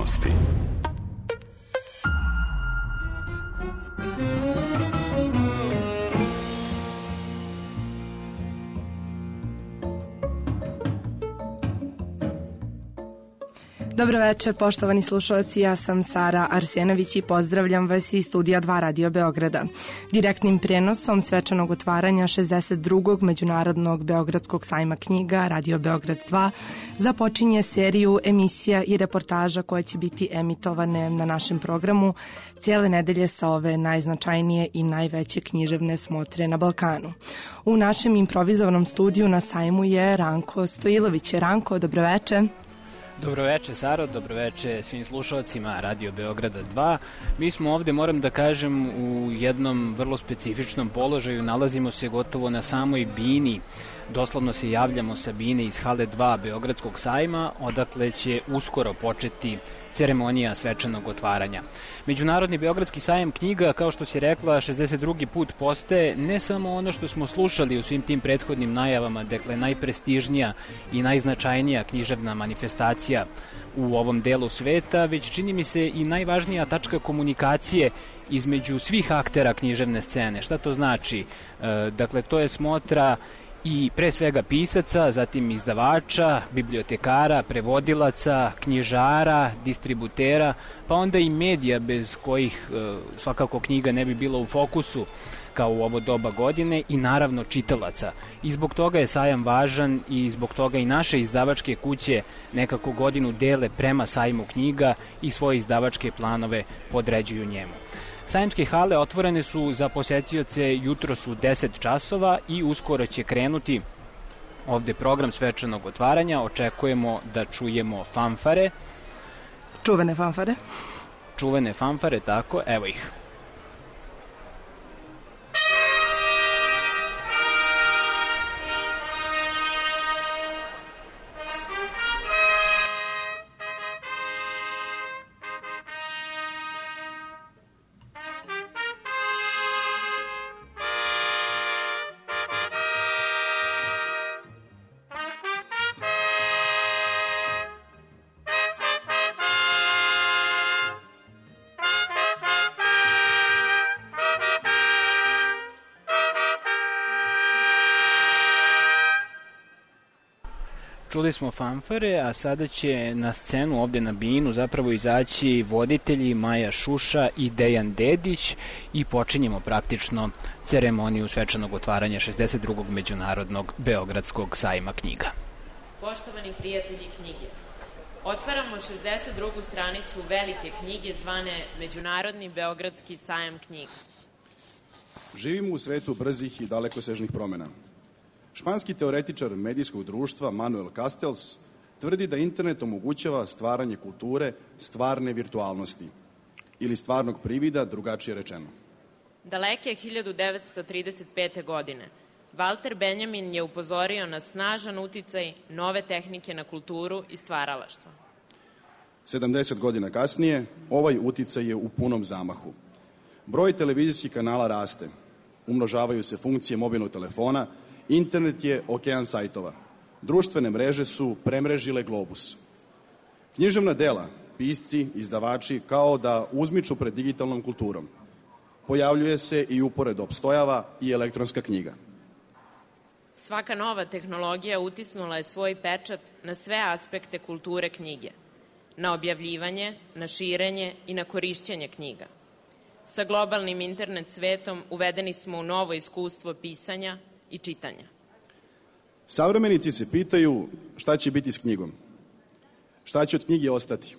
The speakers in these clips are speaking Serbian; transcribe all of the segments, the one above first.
aktualnosti. Dobro večer, poštovani slušalci, ja sam Sara Arsjenović i pozdravljam vas iz studija 2 Radio Beograda. Direktnim prenosom svečanog otvaranja 62. Međunarodnog Beogradskog sajma knjiga Radio Beograd 2 započinje seriju emisija i reportaža koje će biti emitovane na našem programu cijele nedelje sa ove najznačajnije i najveće književne smotre na Balkanu. U našem improvizovanom studiju na sajmu je Ranko Stojilović. Ranko, dobro večer. Dobroveče Saro, dobroveče svim slušalcima Radio Beograda 2. Mi smo ovde, moram da kažem, u jednom vrlo specifičnom položaju. Nalazimo se gotovo na samoj bini. Doslovno se javljamo sa bine iz hale 2 Beogradskog sajma, odakle će uskoro početi ceremonija svečanog otvaranja. Međunarodni Beogradski sajam knjiga, kao što si rekla, 62. put postaje ne samo ono što smo slušali u svim tim prethodnim najavama, dakle najprestižnija i najznačajnija književna manifestacija u ovom delu sveta, već čini mi se i najvažnija tačka komunikacije između svih aktera književne scene. Šta to znači? Dakle, to je smotra i pre svega pisaca, zatim izdavača, bibliotekara, prevodilaca, knjižara, distributera, pa onda i medija bez kojih svakako knjiga ne bi bila u fokusu kao u ovo doba godine, i naravno čitalaca. I zbog toga je sajam važan i zbog toga i naše izdavačke kuće nekako godinu dele prema sajmu knjiga i svoje izdavačke planove podređuju njemu. Sajamske hale otvorene su za posetioce jutros u 10 časova i uskoro će krenuti ovde program svečanog otvaranja. Očekujemo da čujemo fanfare. Čuvene fanfare. Čuvene fanfare, tako, evo ih. Čuli smo fanfare, a sada će na scenu ovde na binu zapravo izaći voditelji Maja Šuša i Dejan Dedić i počinjemo praktično ceremoniju svečanog otvaranja 62. Međunarodnog Beogradskog sajma knjiga. Poštovani prijatelji knjige, otvaramo 62. stranicu velike knjige zvane Međunarodni Beogradski sajam knjiga. Živimo u svetu brzih i dalekosežnih promena. Španski teoretičar medijskog društva Manuel Castells tvrdi da internet omogućava stvaranje kulture stvarne virtualnosti ili stvarnog privida, drugačije rečeno. Daleke 1935. godine Walter Benjamin je upozorio na snažan uticaj nove tehnike na kulturu i stvaralaštvo. 70 godina kasnije ovaj uticaj je u punom zamahu. Broj televizijskih kanala raste, umnožavaju se funkcije mobilnog telefona, internet je okean sajtova. Društvene mreže su premrežile globus. Književna dela, pisci, izdavači kao da uzmiču pred digitalnom kulturom. Pojavljuje se i upored opstojava i elektronska knjiga. Svaka nova tehnologija utisnula je svoj pečat na sve aspekte kulture knjige, na objavljivanje, na širenje i na korišćenje knjiga. Sa globalnim internet svetom uvedeni smo u novo iskustvo pisanja i čitanja. Savremenici se pitaju šta će biti s knjigom, šta će od knjige ostati,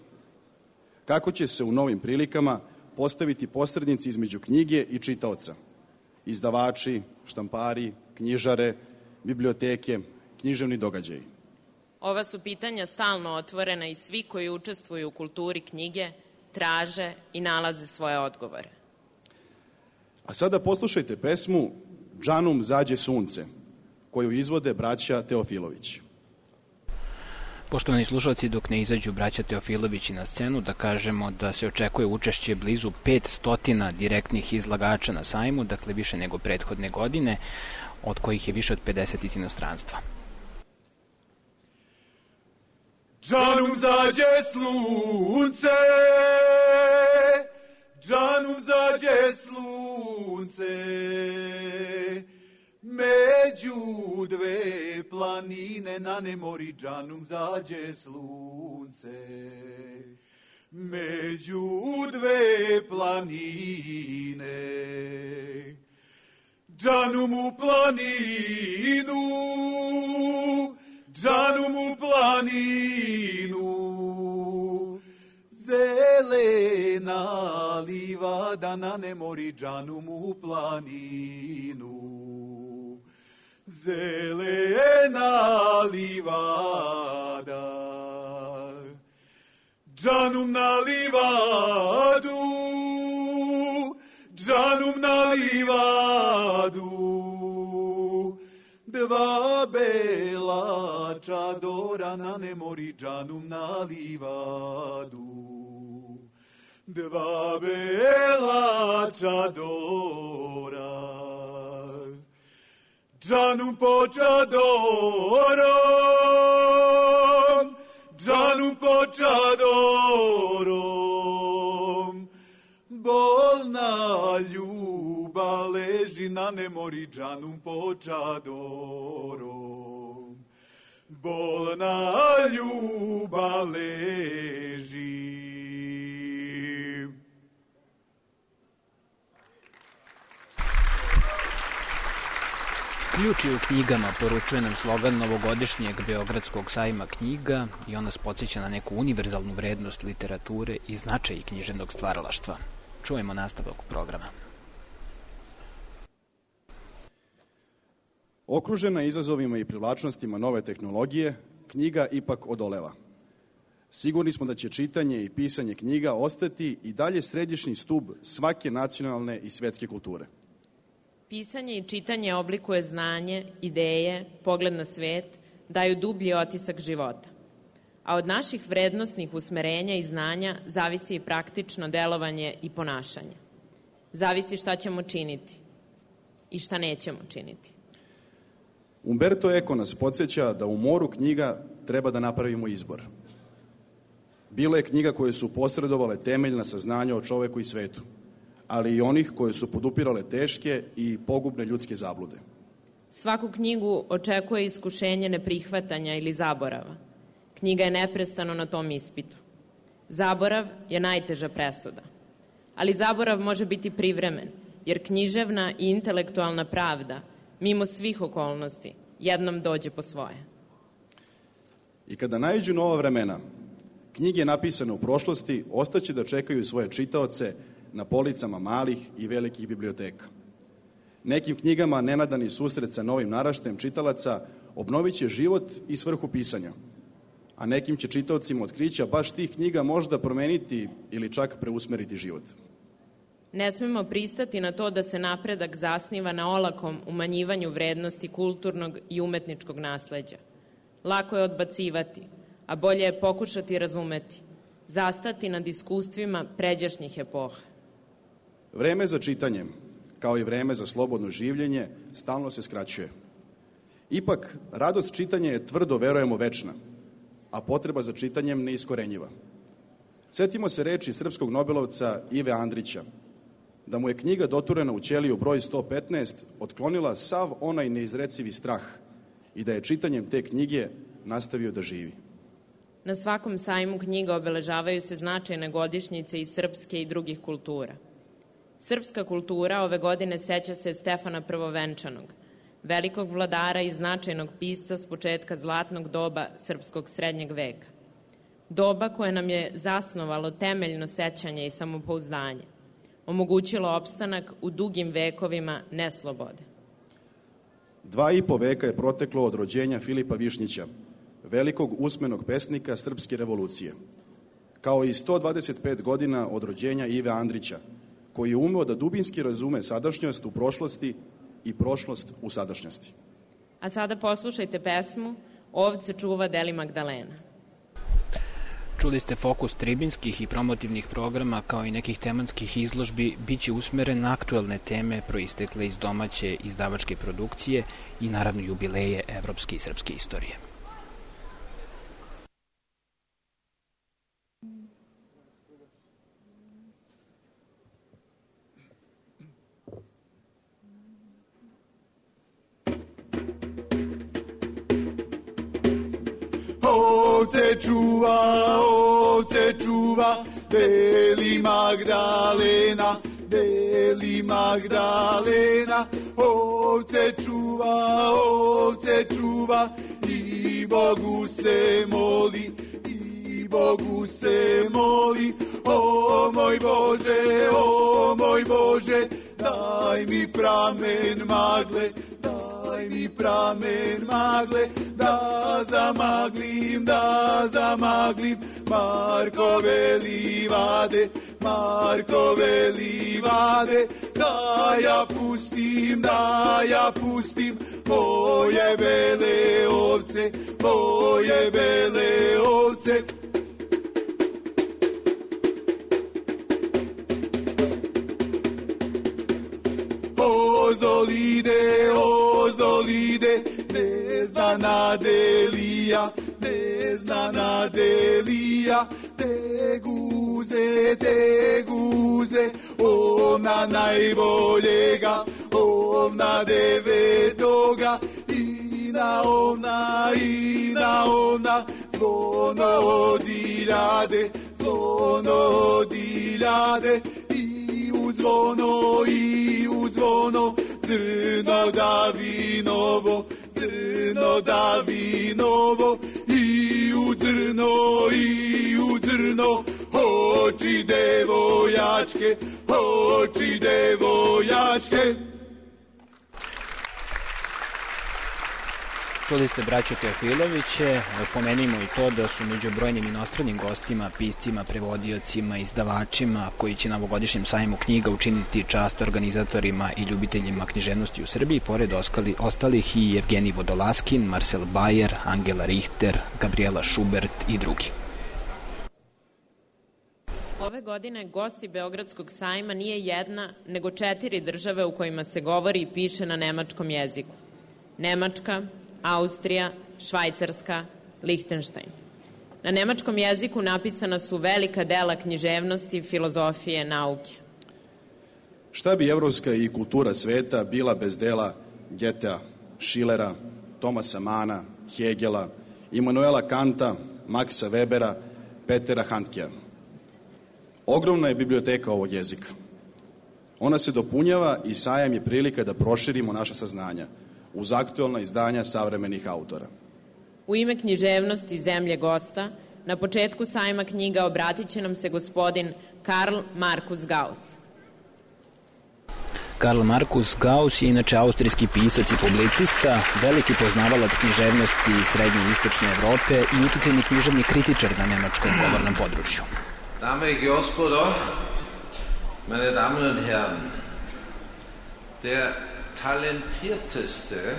kako će se u novim prilikama postaviti posrednici između knjige i čitaoca, izdavači, štampari, knjižare, biblioteke, književni događaji. Ova su pitanja stalno otvorena i svi koji učestvuju u kulturi knjige traže i nalaze svoje odgovore. A sada poslušajte pesmu Džanum zađe sunce, koju izvode braća Teofilović. Poštovani slušalci, dok ne izađu braća Teofilovići na scenu, da kažemo da se očekuje učešće blizu 500 direktnih izlagača na sajmu, dakle više nego prethodne godine, od kojih je više od 50 iz inostranstva. Džanum zađe slunce, džanum zađe slunce, među dve planine na nemori džanum zađe slunce. Među dve planine, džanum u planinu, džanum u planinu, zelena livada na nemori džanum u planinu. Zelena livada, džanum na livadu, džanum na livadu, dva bela čadora na nemori džanum na livadu. Dva bela čadora, džanum po čadorom, džanum po čadorom, bolna ljubav leži na nemori džanum po čadorom. Bolna ljubav leži. Ključ je u knjigama, poručuje nam slogan novogodišnjeg Beogradskog sajma knjiga i on nas podsjeća na neku univerzalnu vrednost literature i značaj književnog stvaralaštva. Čujemo nastavak programa. Okružena izazovima i privlačnostima nove tehnologije, knjiga ipak odoleva. Sigurni smo da će čitanje i pisanje knjiga ostati i dalje središnji stub svake nacionalne i svetske kulture. Pisanje i čitanje oblikuje znanje, ideje, pogled na svet, daju dublji otisak života. A od naših vrednosnih usmerenja i znanja zavisi i praktično delovanje i ponašanje. Zavisi šta ćemo činiti i šta nećemo činiti. Umberto Eco nas podsjeća da u moru knjiga treba da napravimo izbor. Bilo je knjiga koje su posredovale temeljna saznanja o čoveku i svetu, ali i onih koje su podupirale teške i pogubne ljudske zablude. Svaku knjigu očekuje iskušenje neprihvatanja ili zaborava. Knjiga je neprestano na tom ispitu. Zaborav je najteža presuda. Ali zaborav može biti privremen, jer književna i intelektualna pravda, mimo svih okolnosti, jednom dođe po svoje. I kada naiđu nova vremena, knjige napisane u prošlosti ostaće da čekaju svoje čitaoce na policama malih i velikih biblioteka. Nekim knjigama nenadani susret sa novim naraštajem čitalaca obnovit će život i svrhu pisanja, a nekim će čitaocima otkrića baš tih knjiga možda promeniti ili čak preusmeriti život. Ne smemo pristati na to da se napredak zasniva na olakom umanjivanju vrednosti kulturnog i umetničkog nasleđa. Lako je odbacivati, a bolje je pokušati razumeti, zastati nad iskustvima pređašnjih epoha. Vreme za čitanje, kao i vreme za slobodno življenje, stalno se skraćuje. Ipak, radost čitanja je tvrdo, verujemo, večna, a potreba za čitanjem neiskorenjiva. Setimo se reči srpskog nobelovca Ive Andrića, da mu je knjiga doturena u ćeliju broj 115 otklonila sav onaj neizrecivi strah i da je čitanjem te knjige nastavio da živi. Na svakom sajmu knjiga obeležavaju se značajne godišnjice iz srpske i drugih kultura. Srpska kultura ove godine seća se Stefana Prvovenčanog, velikog vladara i značajnog pisca s početka zlatnog doba srpskog srednjeg veka. Doba koje nam je zasnovalo temeljno sećanje i samopouzdanje, omogućilo opstanak u dugim vekovima neslobode. 2,5 veka je proteklo od rođenja Filipa Višnjića, velikog usmenog pesnika srpske revolucije, kao i 125 godina od rođenja Ive Andrića, koji je umeo da dubinski razume sadašnjost u prošlosti i prošlost u sadašnjosti. A sada poslušajte pesmu Ovce čuva Deli Magdalena. Čuli ste fokus tribinskih i promotivnih programa kao i nekih tematskih izložbi biće usmeren na aktuelne teme proistekle iz domaće izdavačke produkcije i naravno jubileje evropske i srpske istorije. ovce čuva, Beli Magdalena, Beli Magdalena, ovce čuva, i Bogu se moli, i Bogu se moli, o moj Bože, daj mi pramen magle, daj mi pramen magle, da zamaglim Markove livade, da ja pustim moje bele ovce, Ozdolide, neznana Delija, te guze, ovna najboljega, ovna devetoga, i na ovna, zvono odiljade, i u zvono, zrno davinovo, i u zrno, oči devojačke. Čuli ste braću Teofiloviće, pomenimo i to da su među brojnim inostranim gostima, piscima, prevodiocima, izdavačima koji će na ovogodišnjem sajmu knjiga učiniti čast organizatorima i ljubiteljima književnosti u Srbiji, pored ostalih i Evgenij Vodolaskin, Marcel Bayer, Angela Richter, Gabriela Schubert i drugi. Ove godine gosti Beogradskog sajma nije jedna, nego 4 države u kojima se govori i piše na nemačkom jeziku. Nemačka, Austrija, Švajcarska, Lihtenštajn. Na nemačkom jeziku napisana su velika dela književnosti, filozofije, nauke. Šta bi evropska i kultura sveta bila bez dela Goethea, Schillera, Tomasa Mana, Hegela, Immanuela Kanta, Maxa Webera, Petera Handkea? Ogromna je biblioteka ovog jezika. Ona se dopunjava i sajam je prilika da proširimo naša saznanja uz aktuelna izdanja savremenih autora. U ime književnosti zemlje gosta, na početku sajma knjiga obratit će nam se gospodin Karl Markus Gauss. Karl Markus Gauss je inače austrijski pisac i publicista, veliki poznavalac književnosti srednje i istočne Evrope i uticajni književni kritičar na nemačkom govornom području. Dame i gospodo, meine Damen und Herren, der talentierteste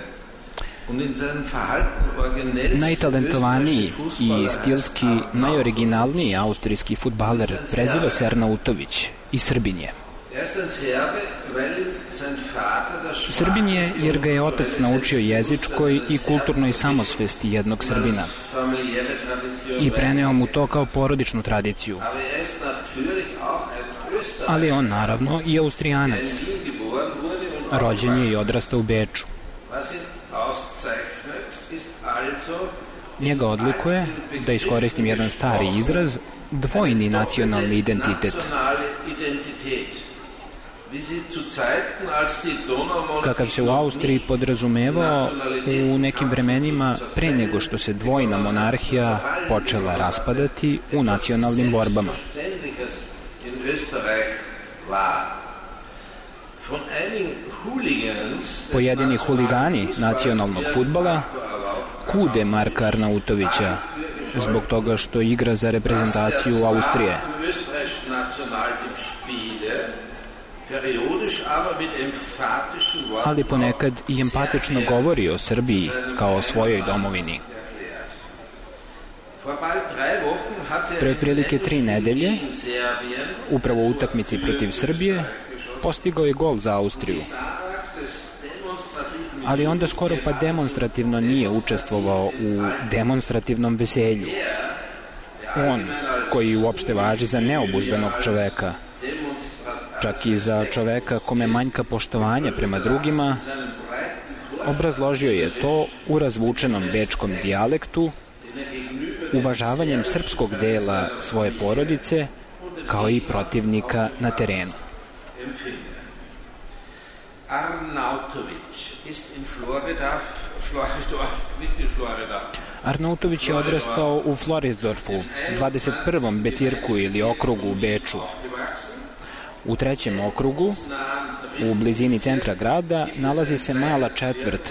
und in seinem Verhalten originellste Najtalentovaniji i stilski najoriginalniji austrijski fudbaler preziva se Arnautović i Srbin je. Srbin je jer ga je otac naučio jezičkoj i kulturnoj samosvesti jednog Srbina i preneo mu to kao porodičnu tradiciju. Ali on naravno i Austrijanac. Rođen je i odrastao u Beču. Njega odlikuje, da iskoristim jedan stari izraz, dvojni nacionalni identitet. Kakav se u Austriji podrazumevao u nekim vremenima pre nego što se dvojna monarhija počela raspadati u nacionalnim borbama. Pojedini huligani nacionalnog fudbala kude Marka Arnautovića zbog toga što igra za reprezentaciju Austrije. Ali ponekad i empatično govori o Srbiji kao o svojoj domovini. Pre otprilike 3 nedelje, upravo u utakmici protiv Srbije, postigao je gol za Austriju. Ali onda skoro pa demonstrativno nije učestvovao u demonstrativnom veselju. On, koji uopšte važi za neobuzdanog čoveka, čak i za čoveka kome manjka poštovanje prema drugima, obrazložio je to u razvučenom bečkom dijalektu uvažavanjem srpskog dela svoje porodice, kao i protivnika na terenu. Arnautović je odrastao u Floridsdorfu, 21. becirku ili okrugu u Beču. U 3. okrugu, u blizini centra grada, nalazi se mala četvrt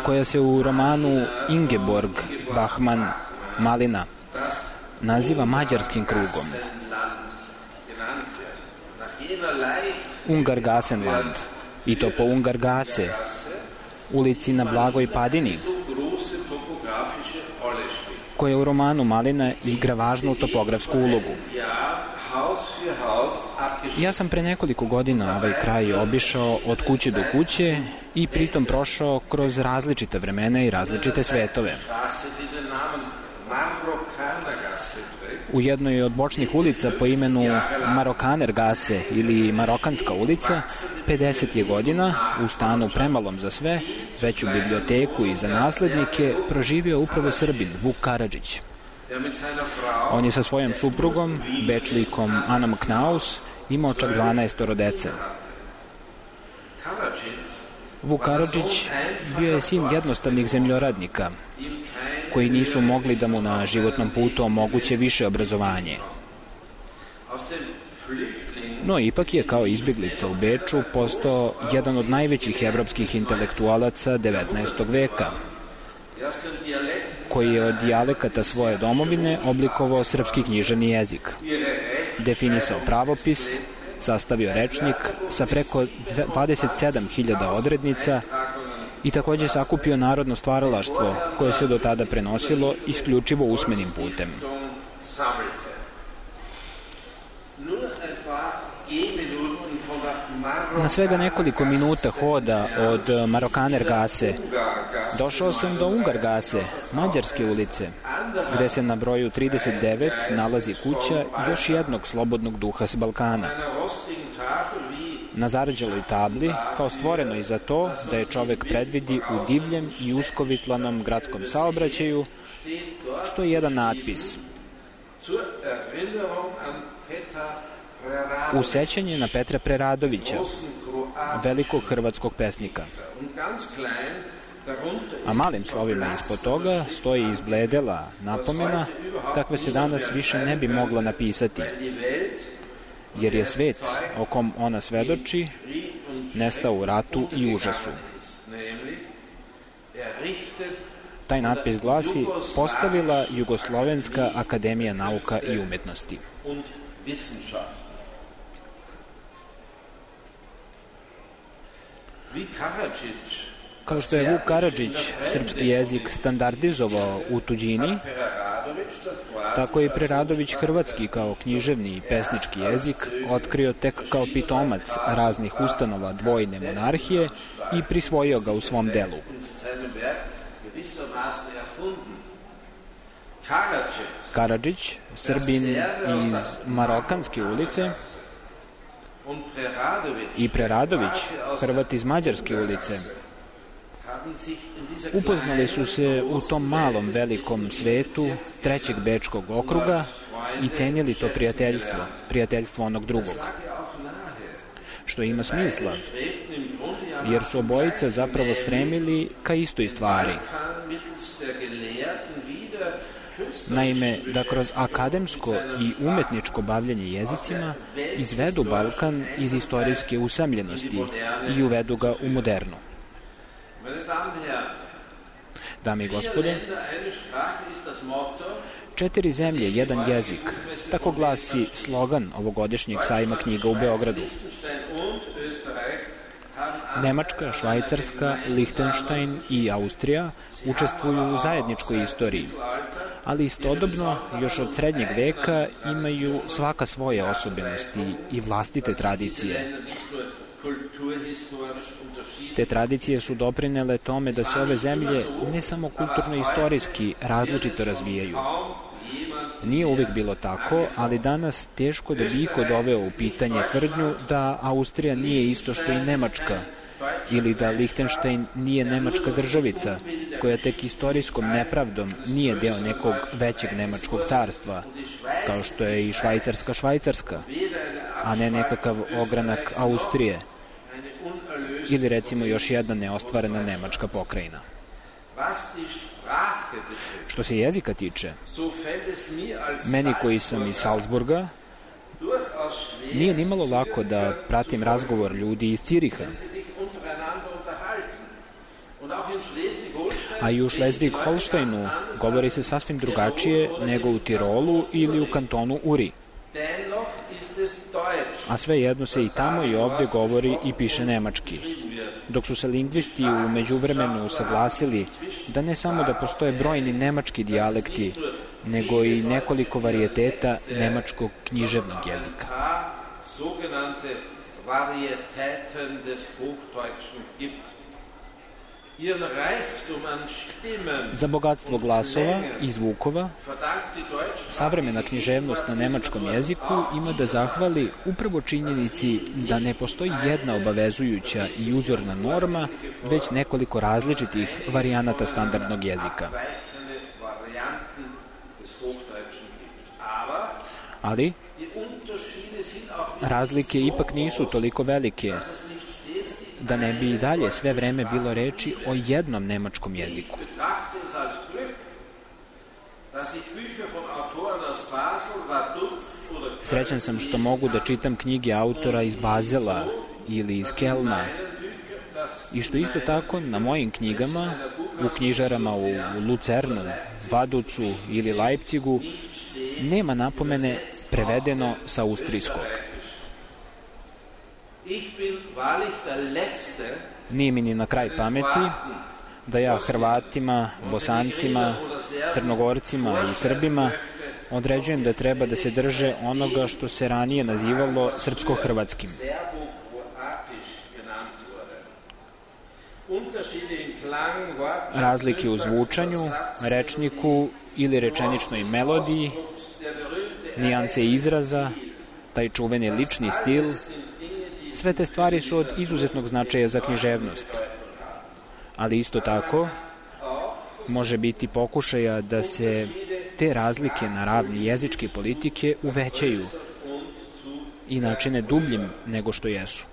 koja se u romanu Ingeborg Bachmann Malina naziva Mađarskim krugom. Ungargasenland, i to po Ungargase, ulici na Blagoj Padini, koja u romanu Malina igra važnu topografsku ulogu. Ja sam pre nekoliko godina ovaj kraj obišao od kuće do kuće i pritom prošao kroz različite vremena i različite svetove. U jednoj od bočnih ulica po imenu Marokanergase ili Marokanska ulica, 50 je godina, u stanu premalom za sve, veću biblioteku i za naslednike, proživio upravo Srbin Vuk Karadžić. On je sa svojom suprugom, Bečlikom Anom Knaus, imao čak 12 dece. Vuk Karadžić bio je sin jednostavnih zemljoradnika, koji nisu mogli da mu na životnom putu omoguće više obrazovanje. No, ipak je kao izbjeglica u Beču postao jedan od najvećih evropskih intelektualaca 19. veka, koji je od dijalekata svoje domovine oblikovao srpski književni jezik, definisao pravopis, sastavio rečnik sa preko 27.000 odrednica i takođe sakupio narodno stvaralaštvo koje se do tada prenosilo isključivo usmenim putem. Na svega nekoliko minuta hoda od Marokanergase došao sam do Ungargase, Mađarske ulice, gde se na broju 39 nalazi kuća još jednog slobodnog duha s Balkana. Na zarđaloj tabli, kao stvoreno i za to da je čovek predvidi u divljem i uskovitlanom gradskom saobraćaju, stoji jedan natpis: u sećanje na Petra Preradovića, velikog hrvatskog pesnika. A malim slovima ispod toga stoji izbledela napomena, takve se danas više ne bi mogla napisati, jer je svet o kom ona svedoči nestao u ratu i užasu. Taj natpis glasi: postavila Jugoslovenska akademija nauka i umetnosti. Kao što je Vuk Karadžić srpski jezik standardizovao u tuđini, tako je i Preradović hrvatski kao književni i pesnički jezik otkrio tek kao pitomac raznih ustanova dvojne monarhije i prisvojio ga u svom delu. Karadžić, Srbin iz Marokanske ulice, i Preradović, Hrvat iz Mađarske ulice, upoznali su se u tom malom velikom svetu trećeg bečkog okruga i cenili to prijateljstvo onog drugog. Što ima smisla, jer su obojica zapravo stremili ka istoj stvari. Naime, da kroz akademsko i umetničko bavljanje jezicima izvedu Balkan iz istorijske usamljenosti i uvedu ga u modernu. Dame i gospode, 4 zemlje, jedan jezik, tako glasi slogan ovogodišnjeg sajma knjiga u Beogradu. Nemačka, Švajcarska, Lihtenštajn i Austrija učestvuju u zajedničkoj istoriji, ali istodobno još od srednjeg veka imaju svaka svoje osobenosti i vlastite tradicije. Te tradicije su doprinele tome da se ove zemlje ne samo kulturno-istorijski različito razvijaju. Nije uvek bilo tako, ali danas teško da bi iko doveo u pitanje tvrdnju da Austrija nije isto što i Nemačka, ili da Lihtenštajn nije nemačka državica, koja tek istorijskom nepravdom nije deo nekog većeg nemačkog carstva, kao što je i Švajcarska, a ne nekakav ogranak Austrije, ili recimo još jedna neostvarena nemačka pokrajina. Što se jezika tiče, meni koji sam iz Salzburga, nije nimalo lako da pratim razgovor ljudi iz Ciriha. A i u Šlezvig-Holštajnu govori se sasvim drugačije nego u Tirolu ili u kantonu Uri. A svejedno se i tamo i ovde govori i piše nemački. Dok su se lingvisti u međuvremenu usaglasili da ne samo da postoje brojni nemački dijalekti, nego i nekoliko varijeteta nemačkog književnog jezika. Za bogatstvo glasova i zvukova, savremena književnost na nemačkom jeziku ima da zahvali upravo činjenici da ne postoji jedna obavezujuća i uzorna norma, već nekoliko različitih varijanata standardnog jezika. Ali razlike ipak nisu toliko velike da ne bi i dalje sve vreme bilo reči o jednom nemačkom jeziku. Srećan sam što mogu da čitam knjige autora iz Bazela ili iz Kelna i što isto tako na mojim knjigama, u knjižarama u Lucernu, Vaducu ili Leipzigu, nema napomene prevedeno sa austrijskog. Nije mi ni na kraj pameti da ja Hrvatima, Bosancima, Crnogorcima i Srbima određujem da treba da se drže onoga što se ranije nazivalo srpsko-hrvatskim. Razlike u zvučanju, rečniku ili rečeničnoj melodiji, nijanse izraza, taj čuveni lični stil, sve te stvari su od izuzetnog značaja za književnost. Ali isto tako može biti pokušaja da se te razlike na ravni jezičke politike uvećaju i načine dubljim nego što jesu.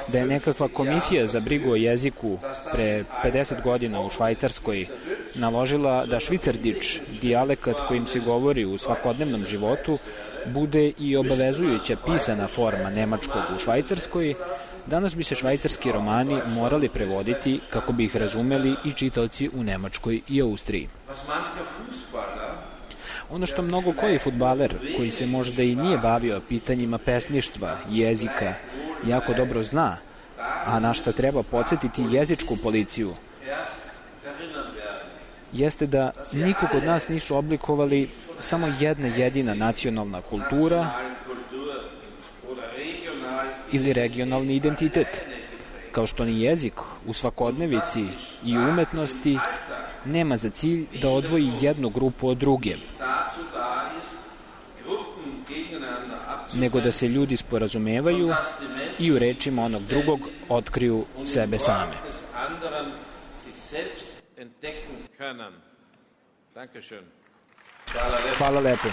Da je nekakva komisija za brigu o jeziku pre 50 godina u Švajcarskoj naložila da švicardič, dijalekat kojim se govori u svakodnevnom životu, bude i obavezujuća pisana forma nemačkog u Švajcarskoj, danas bi se švajcarski romani morali prevoditi kako bi ih razumeli i čitaoci u Nemačkoj i Austriji. Ono što mnogo koji fudbaler, koji se možda i nije bavio pitanjima pesništva, jezika, jako dobro zna, a na šta treba podsjetiti jezičku policiju, jeste da nikog od nas nisu oblikovali samo jedna jedina nacionalna kultura ili regionalni identitet, kao što ni jezik u svakodnevici i umetnosti nema za cilj da odvoji jednu grupu od druge, nego da se ljudi sporazumevaju i u rečima onog drugog otkriju sebe same. Hvala lepo.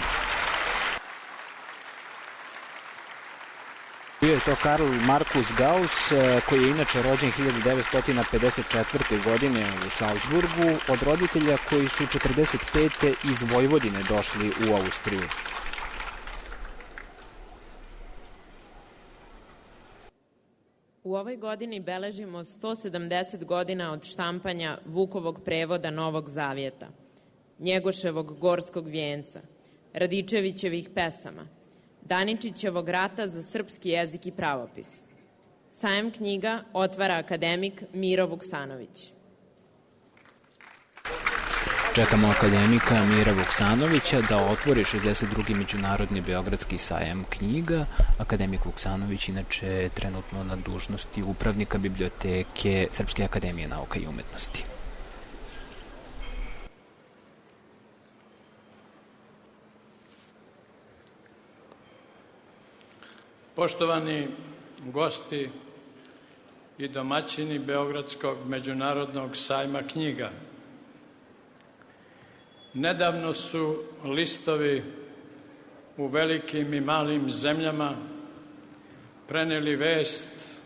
Bio je to Karl Markus Gauss, koji je inače rođen 1954. godine u Salzburgu, od roditelja koji su 1945. iz Vojvodine došli u Austriju. U ovoj godini beležimo 170 godina od štampanja Vukovog prevoda Novog Zavjeta, Njegoševog Gorskog vijenca, Radičevićevih pesama, Daničićevog rata za srpski jezik i pravopis. Sajam knjiga otvara akademik Miro Vuksanović. Čekamo akademika Mira Vuksanovića da otvori 62. Međunarodni Beogradski sajam knjiga. Akademik Vuksanović inače je trenutno na dužnosti upravnika biblioteke Srpske akademije nauka i umetnosti. Poštovani gosti i domaćini Beogradskog međunarodnog sajma knjiga. Nedavno su listovi u velikim i malim zemljama preneli vest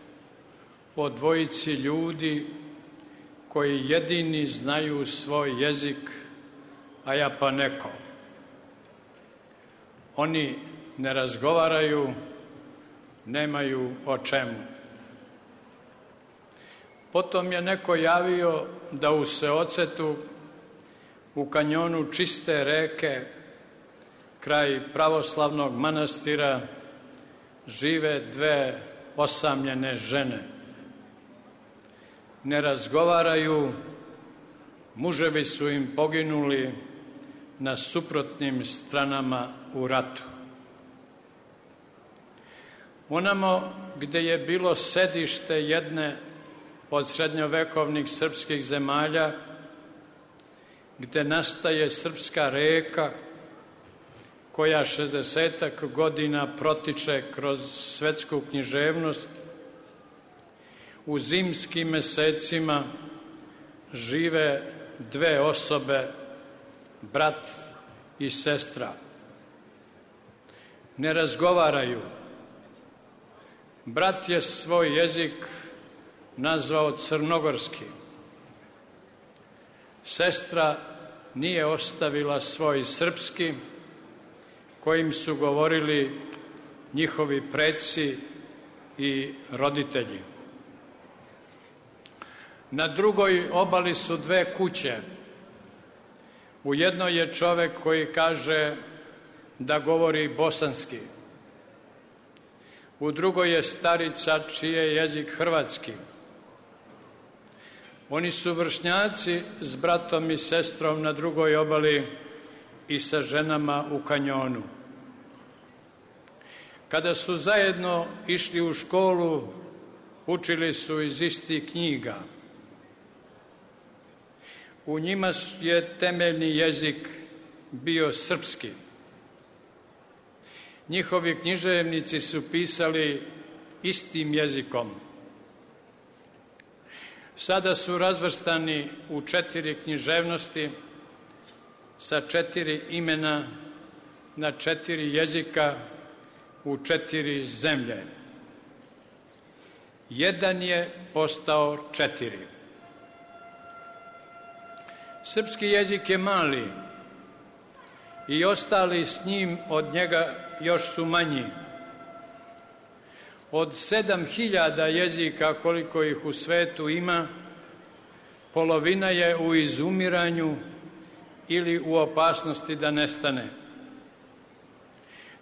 o dvojici ljudi koji jedini znaju svoj jezik, a ja pa neko. Oni ne razgovaraju, nemaju o čemu. Potom je neko javio da u Seocetu, u kanjonu čiste reke, kraj pravoslavnog manastira, žive dve osamljene žene. Ne razgovaraju, muževi su im poginuli na suprotnim stranama u ratu. Onamo gde je bilo sedište jedne od srednjovekovnih srpskih zemalja, gde nastaje srpska reka koja 60 godina protiče kroz svetsku književnost, u zimskim mesecima žive dve osobe, brat i sestra. Ne razgovaraju. Brat je svoj jezik nazvao crnogorski. Sestra nije ostavila svoj srpski, kojim su govorili njihovi preci i roditelji. Na drugoj obali su dve kuće. U jednoj je čovek koji kaže da govori bosanski. U drugoj je starica čiji je jezik hrvatski. Oni su vršnjaci s bratom i sestrom na drugoj obali i sa ženama u kanjonu. Kada su zajedno išli u školu, učili su iz istih knjiga. U njima je temeljni jezik bio srpski. Njihovi književnici su pisali istim jezikom. Sada su razvrstani u 4 književnosti sa 4 imena na 4 jezika u 4 zemlje. Jedan je postao 4. Srpski jezik je mali i ostali s njim od njega još su manji. Od 7000 jezika koliko ih u svetu ima, polovina je u izumiranju ili u opasnosti da nestane.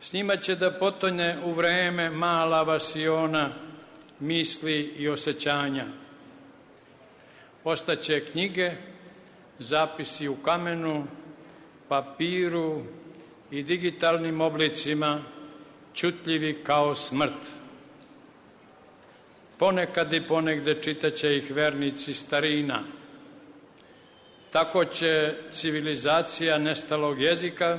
S njima će da potone u vreme mala vasiona misli i osjećanja. Ostaće knjige, zapisi u kamenu, papiru i digitalnim oblicima, čutljivi kao smrt. Ponekad i ponegde čitaće ih vernici starina. Tako će civilizacija nestalog jezika,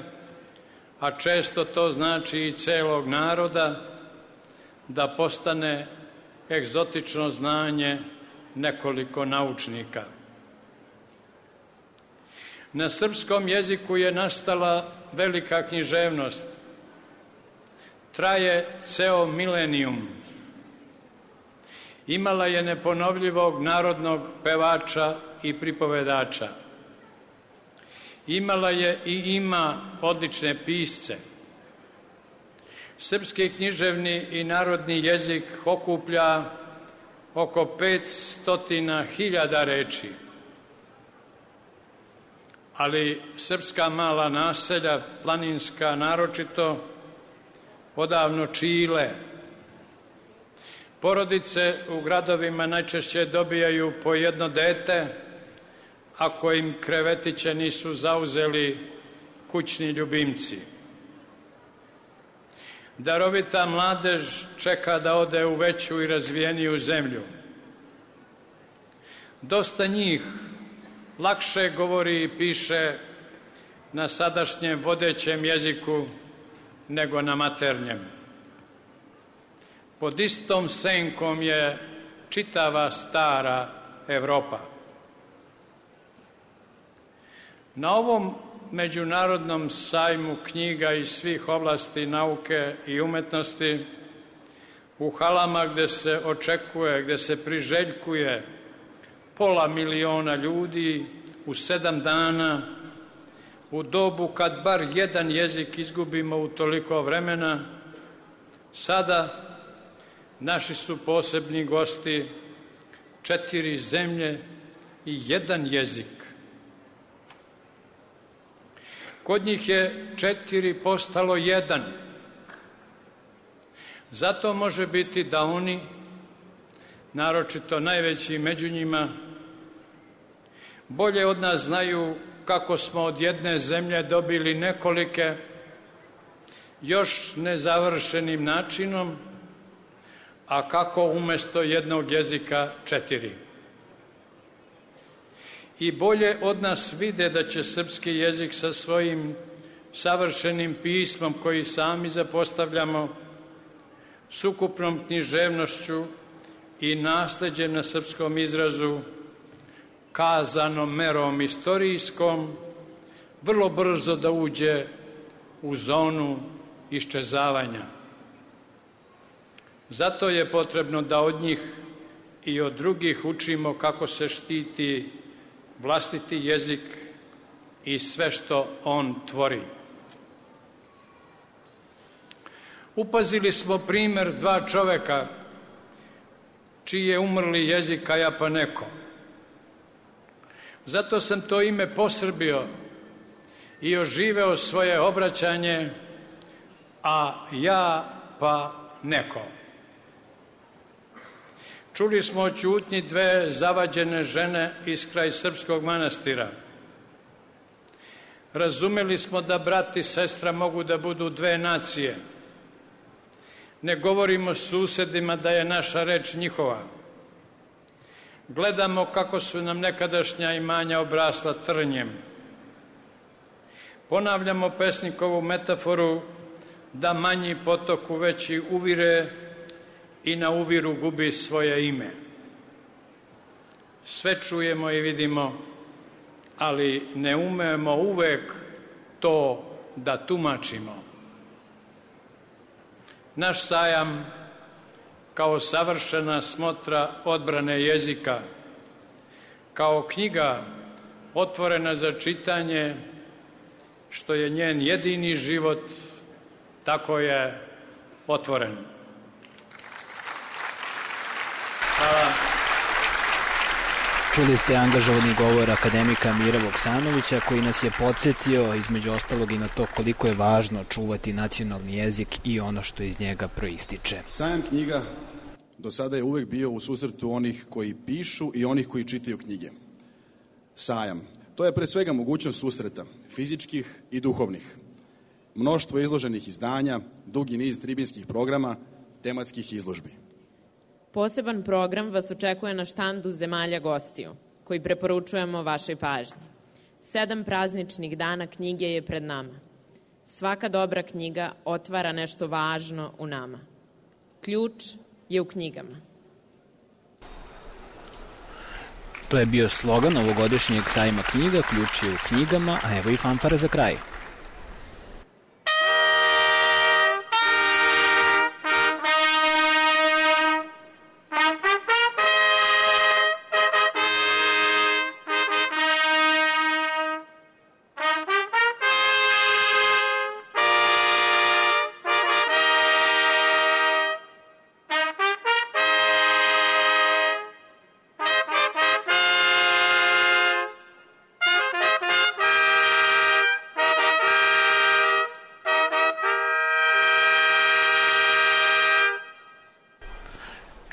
a često to znači i celog naroda, da postane egzotično znanje nekoliko naučnika. Na srpskom jeziku je nastala velika književnost. Traje ceo milenijum. Imala je neponovljivog narodnog pevača i pripovedača. Imala je i ima odlične pisce. Srpski književni i narodni jezik okuplja oko 500.000 reči. Ali srpska mala naselja, planinska naročito, odavno čile. Porodice u gradovima najčešće dobijaju po jedno dete, ako im krevetiće nisu zauzeli kućni ljubimci. Darovita mladež čeka da ode u veću i razvijeniju zemlju. Dosta njih lakše govori i piše na sadašnjem vodećem jeziku nego na maternjem. Pod istom senkom je čitava stara Evropa. Na ovom međunarodnom sajmu knjiga iz svih oblasti nauke i umetnosti, u halama gde se očekuje, gde se priželjkuje 500.000 ljudi u 7 dana, u dobu kad bar jedan jezik izgubimo u toliko vremena, sada naši su posebni gosti 4 zemlje i 1 jezik. Kod njih je 4 postalo 1. Zato može biti da oni, naročito najveći među njima, bolje od nas znaju kako smo od jedne zemlje dobili nekolike, još nezavršenim načinom, a kako umesto jednog jezika 4. I bolje od nas vide da će srpski jezik sa svojim savršenim pismom koji sami zapostavljamo, s ukupnom književnošću i nasleđem na srpskom izrazu, kazanom merom istorijskom, vrlo brzo da uđe u zonu iščezavanja. Zato je potrebno da od njih i od drugih učimo kako se štiti vlastiti jezik i sve što on tvori. Upazili smo primer 2 čoveka čiji je umrli jezik Kajapaneko. Zato sam to ime posrbio i oživeo svoje obraćanje, a ja pa neko. Čuli smo o ćutnji 2 zavađene žene iz kraj srpskog manastira. Razumeli smo da brat i sestra mogu da budu 2 nacije. Ne govorimo susedima da je naša reč njihova. Gledamo kako su nam nekadašnja imanja obrasla trnjem. Ponavljamo pesnikovu metaforu da manji potok u veći uvire i na uviru gubi svoje ime. Sve čujemo i vidimo, ali ne umemo uvek to da tumačimo. Naš sajam, kao savršena smotra odbrane jezika, kao knjiga otvorena za čitanje, što je njen jedini život, tako je otvoren. Hvala. Čuli ste angažovani govor akademika Mira Voksanovića, koji nas je podsjetio, između ostalog, i na to koliko je važno čuvati nacionalni jezik i ono što iz njega proističe. Sajam knjiga do sada je uvek bio u susretu onih koji pišu i onih koji čitaju knjige. Sajam. To je pre svega mogućnost susreta, fizičkih i duhovnih. Mnoštvo izloženih izdanja, dugi niz tribinskih programa, tematskih izložbi. Poseban program vas očekuje na štandu zemalja gostiju, koji preporučujemo vašoj pažnji. 7 prazničnih dana knjige je pred nama. Svaka dobra knjiga otvara nešto važno u nama. Ključ je u knjigama. To je bio slogan ovogodišnjeg sajma knjiga, ključ je u knjigama, a evo i fanfare za kraj.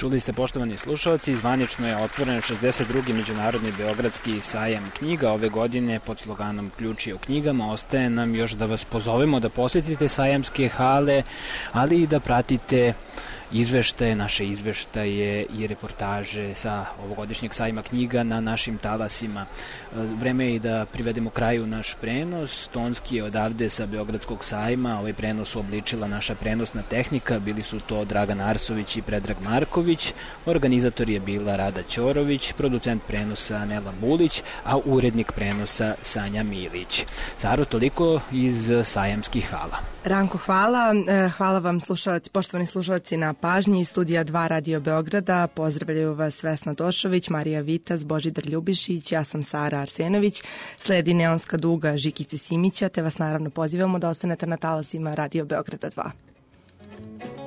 Čuli ste, poštovani slušalci, zvanično je otvoren 62. Međunarodni beogradski sajam knjiga ove godine pod sloganom Ključ je u knjigama. Ostaje nam još da vas pozovemo da posjetite sajamske hale, ali i da pratite izveštaje, naše izveštaje i reportaže sa ovogodišnjeg sajma knjiga na našim talasima. Vreme je i da privedemo kraju naš prenos. Tonski je odavde sa Beogradskog sajma. Ovaj prenos uobličila naša prenosna tehnika. Bili su to Dragan Arsović i Predrag Marković. Organizator je bila Rada Ćorović, producent prenosa Nela Bulić, a urednik prenosa Sanja Milić. Saro, toliko iz sajamskih hala. Ranko, hvala. Hvala vam, poštovani slušalci, na pažnji. Iz studija 2 Radio Beograda pozdravljaju vas Vesna Došović, Marija Vitas, Božidar Ljubišić, ja sam Sara Arsenović. Sledi Neonska duga Žikice Simića, te vas naravno pozivamo da ostanete na talasima Radio Beograda 2.